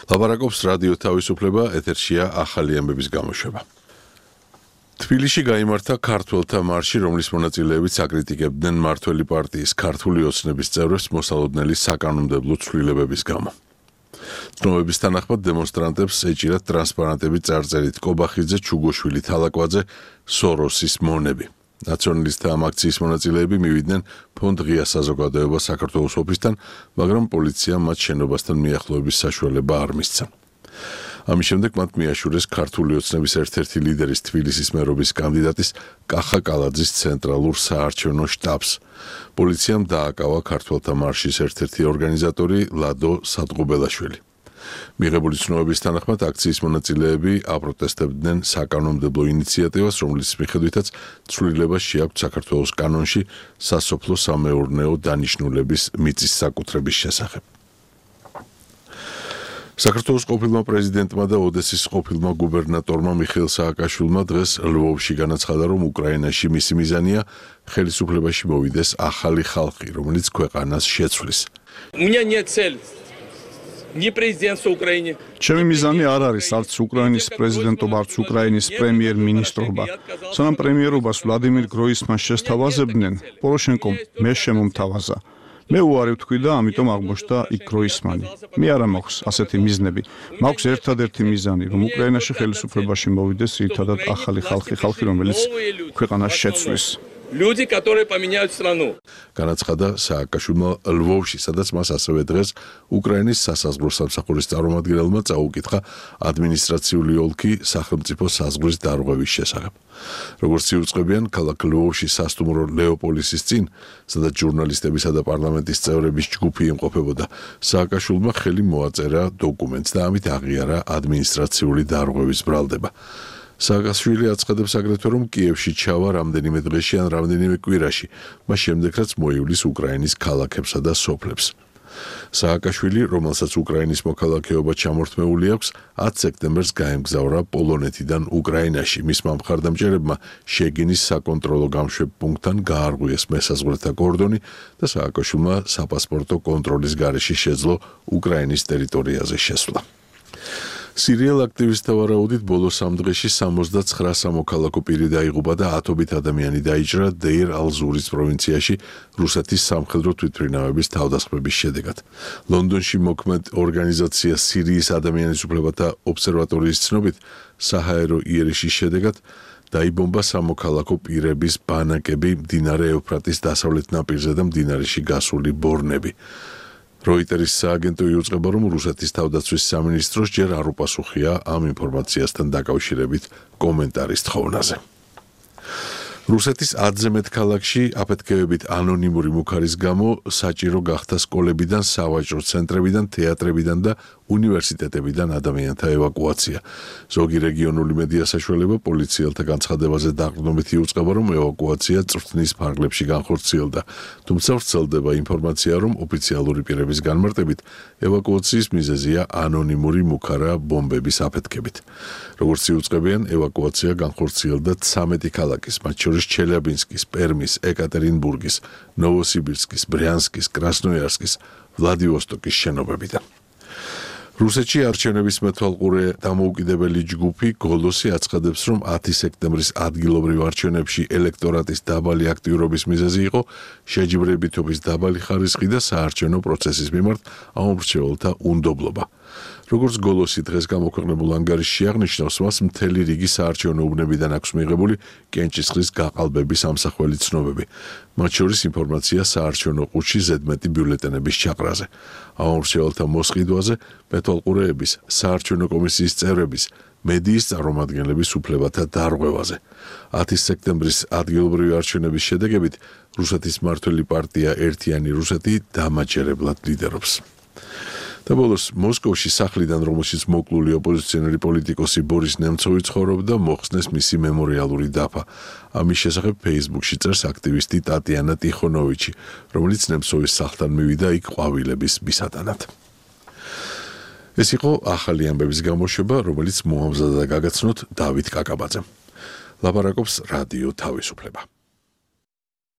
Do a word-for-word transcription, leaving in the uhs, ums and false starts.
ლაპარაკობს რადიო თავისუფლება, ეთერშია ახალი ამბების გამოშვება. თბილისში გაიმართა ქართველთა მარში, რომლის მონაწილეებით აკრიტიკებდნენ მმართველი პარტიის ქართული ოცნების წევრებს მოსალოდნელი საკანონმდებლო ცვლილებების გამო. ცნობების თანახმად დემონსტრანტებს ეჭირათ ტრანსპარანტები წარწერით კობახიძე, ჩუგოშვილი, თალაკვაძე, სოროსის მონები. ნაციონალისტთა ამ აქციის მონაწილეები მივიდნენ ფონდ ღია საზოგადოება საქართველოს ოფისთან, მაგრამ პოლიციამ მათ შენობასთან მიახლოების საშუალება არ მისცა. ამის შემდეგ მათ მიაშურეს ქართული ოცნების ერთ-ერთი ლიდერის თბილისის მერობის კანდიდატის კახა კალაძის ცენტრალურ საარჩევნო შტაბს. პოლიციამ დააკავა ქართველთა მარშის ერთ-ერთი ორგანიზატორი ლადო სადღობელაშვილი. მიღებული ცნობების თანახმად აქციის მონაწილეები აპროტესტებდნენ საკანონმდებლო ინიციატივას, რომლის მიხედვითაც ცვლილება შეაქვთ საქართველოს კანონში სასოფლო-სამეურნეო დანიშნულების მიწის საკუთრების შესახებ. საქართველოს ყოფილმა პრეზიდენტმა და ოდესის ყოფილმა გუბერნატორმა მიხეილ სააკაშვილმა დღეს ლვოვში განაცხადა, რომ უკრაინაში მისი მიზანია ხელისუფლებაში მოვიდეს ახალი ხალხი, რომელიც ქვეყანას შეცვლის. ჩემი მიზანი არ არის არც უკრაინის პრეზიდენტობა, არც უკრაინის პრემიერ-მინისტრობა. სანამ პრემიერობას ვლადიმირ გროისმანს შესთავაზებდნენ, პოროშენკომ მე შემომთავაზა. მე უარი ვთქვი და ამიტომ აღმოჩნდა იქ გროისმანი. მე არა მაქვს ასეთი მიზნები. მაქვს ერთადერთი მიზანი, რომ უკრაინაში ხელისუფლებაში მოვიდეს ერთადად ახალი ხალხი, ხალხი, რომელიც ქვეყანას შეცვლის. Люди, которые поменяют страну. განაცხადა სააკაშვილმა ლვოვში, სადაც მას ასევე დღეს უკრაინის სასაზღვრო სამსახურის წარმომადგენელმა წაუკითხა ადმინისტრაციული ოლქი სახელმწიფო საზღვრის დარღვევის შესახებ. როგორც იუწყებიან, ქალაქ ლვოვში სასტუმრო ლეოპოლისის წინ, სადაც ჟურნალისტებისა და პარლამენტის წევრების ჯგუფი იმყოფებოდა, სააკაშვილმა ხელი მოაწერა დოკუმენტს და ამით აღიარა ადმინისტრაციული დარღვევის ბრალდება. სააკაშვილი აცხადებს აგრეთვე, რომ კიევში ჩავა რამდენიმე დღეში ან რამდენიმე კვირაში, მას შემდეგ რაც მოივლის უკრაინის ქალაქებსა და სოფლებს. სააკაშვილი, რომელსაც უკრაინის მოქალაქეობა ჩამორთმეული აქვს, ათი სექტემბერს გაემგზავრა პოლონეთიდან უკრაინაში. მისმა მხარდამჭერებმა შეგინის საკონტროლო გამშვებ პუნქტთან გაარღვიეს მესაზღვრეთა კორდონი და სააკაშვილმა საპასპორტო კონტროლის გარეშე შეძლო უკრაინის ტერიტორიაზე შესვლა. სერიალ აქტივისტთა ვარაუდით ბოლო სამ დღეში სამოცდაცხრა სამოქალაქო პირი დაიღუპა და ათობით ადამიანი დაიჭრა დეირ ალ-ზურის პროვინციაში რუსეთის სამხედრო თვითმფრინავების თავდასხმების შედეგად. ლონდონში მოქმედ ორგანიზაცია სირიის ადამიანის უფლებათა ობსერვატორიის ცნობით, საჰაერო იერიშის შედეგად დაიბომბა სამოქალაქო პირების ბანაკები მდინარე ევფრატის დასავლეთ ნაპირზე და მდინარეში გასული ბორნები. როიტერის სააგენტო იუწყება, რომ რუსეთის თავდაცვის სამინისტროს ჯერ არ უპასუხია ამ ინფორმაციასთან დაკავშირებით კომენტარის თხოვნაზე. რუსეთის ათზე მეტ ქალაქში აფეთქებებით ანონიმური მუქარის გამო საჭირო გახდა სკოლებიდან, სავაჭრო ცენტრებიდან, თეატრებიდან და უნივერსიტეტებიდან ადამიანთა ევაკუაცია. ზოგი რეგიონული მედია საშუალება პოლიციელთა განცხადებაზე დაყრდნობით იუწყება, რომ ევაკუაცია წვრთნის ფარგლებში განხორციელდა. თუმცა ვრცელდება ინფორმაცია, რომ ოფიციალური პირების განმარტებით ევაკუაციის მიზეზია ანონიმური მუქარა ბომბების აფეთქებით. როგორც იუწყებიან, ევაკუაცია განხორციელდა ცამეტი ქალაქის, მათ შორის ჩელიაბინსკის, პერმის, ეკატერინბურგის, ნოვოსიბირსკის, ბრიანსკის, კრასნოიარსკის, ვლადივოსტოკის შენობებიდან. რუსეთში არჩევნების მეთვალყურე დამოუკიდებელი ჯგუფი გოლოსი აცხადებს, რომ ათი სექტემბრის ადგილობრივ არჩევნებში ელექტორატის დაბალი აქტიურობის მიზეზი იყო შეჯიბრებითობის დაბალი ხარისხი და საარჩევნო პროცესის მიმართ ამომრჩეველთა უნდობლობა. როგორც გოლოსი დღეს გამოქვეყნებულ ანგარიშში აღნიშნავს, მას მთელი რიგი საარჩევნო უბნებიდან აქვს მიღებული კენჭისყრის გაყალბების ამსახველი ცნობები. მათ შორის ინფორმაცია საარჩევნო ყუთში ზედმეტი ბიულეტენების ჩაყრაზე. ამომრჩეველთა მოსყიდვაზე, მეთვალყურეების, საარჩევნო კომისიის წევრების, მედიის წარმომადგენლების უფლებათა დარღვევაზე. ათი სექტემბრის ადგილობრივი არჩევნების შედეგებით რუსეთის მმართველი პარტია ერთიანი რუსეთი დამაჯერებლად ლიდერობს. და ბოლოს მოსკოვში სახლიდან, რომელშიც მოკლული ოპოზიციონერი პოლიტიკოსი ბორის ნემცოვი ცხოვრობდა, მოხსნეს მისი მემორიალური დაფა. ამის შესახებ Facebook-ში წერს აქტივისტი ტატიანა ტიხონოვიჩი, რომელიც ნემცოვის სახლთან მივიდა იქ ყვავილების მისატანად. ეს იყო ახალი ამბების გამოშვება, რომელიც მოამზადა და გაგაცნოთ დავით კაკაბაძემ. ლაპარაკობს რადიო თავისუფლება.